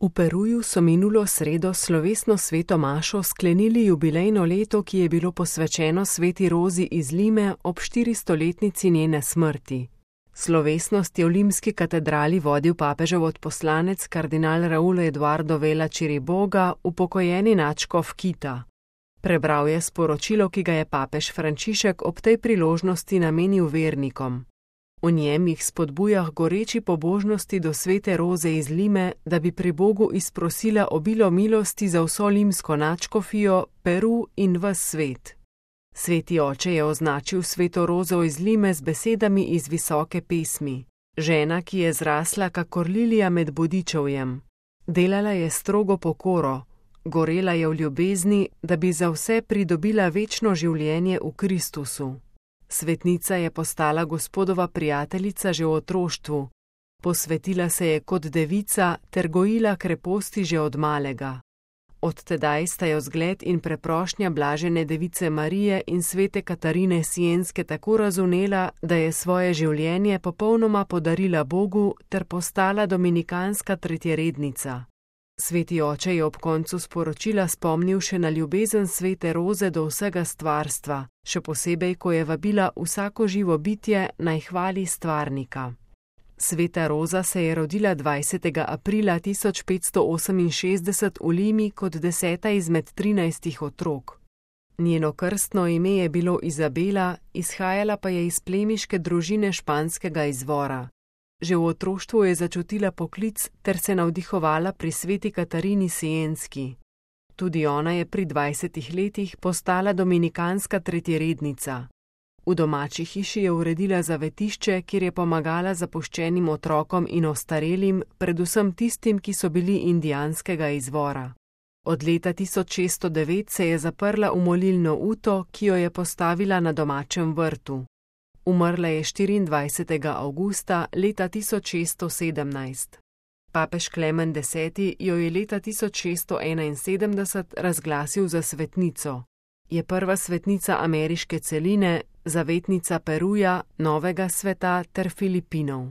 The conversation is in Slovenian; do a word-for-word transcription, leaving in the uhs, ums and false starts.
V Peruju so minulo sredo slovesno sveto mašo sklenili jubilejno leto, ki je bilo posvečeno sveti Rozi iz Lime ob štiristoletnici njene smrti. Slovesnost je v limski katedrali vodil papežev odposlanec kardinal Raul Eduardo Vela Chiriboga, upokojeni nadškof Kita. Prebral je sporočilo, ki ga je papež Frančišek ob tej priložnosti namenil vernikom. V njem jih spodbuja k goreči pobožnosti do svete Roze iz Lime, da bi pri Bogu izprosila obilo milosti za vso limsko nadškofijo, Peru in ves svet. Sveti oče je označil sveto Rozo iz Lime z besedami iz visoke pesmi. Žena, ki je zrasla kakor lilija med bodičevjem. Delala je strogo pokoro, gorela je v ljubezni, da bi za vse pridobila večno življenje v Kristusu. Svetnica je postala Gospodova prijateljica že v otroštvu. Posvetila se je kot devica ter gojila kreposti že od malega. Od tedaj sta jo zgled in preprošnja blažene device Marije in svete Katarine Sienske tako razumela, da je svoje življenje popolnoma podarila Bogu ter postala dominikanska tretjerednica. Sveti oče je ob koncu sporočila spomnil še na ljubezen svete Roze do vsega stvarstva, še posebej, ko je vabila vsako živo bitje naj hvali stvarnika. Sveta Roza se je rodila dvajsetega aprila tisoč petsto oseminšestdeset v Limi kot deseta izmed trinajstih otrok. Njeno krstno ime je bilo Izabela, izhajala pa je iz plemiške družine španskega izvora. Že v otroštvu je začutila poklic ter se navdihovala pri sveti Katarini Sienski. Tudi ona je pri dvajsetih letih postala dominikanska tretjerednica. V domači hiši je uredila zavetišče, kjer je pomagala zapuščenim otrokom in ostarelim, predvsem tistim, ki so bili indijanskega izvora. Od leta tisoč šeststo devet se je zaprla v molilno uto, ki jo je postavila na domačem vrtu. Umrla je štiriindvajsetega avgusta leta tisoč šeststo sedemnajst. Papež Klemen deseti jo je leta tisoč šeststo enainsedemdeset razglasil za svetnico. Je prva svetnica ameriške celine, zavetnica Peruja, Novega sveta ter Filipinov.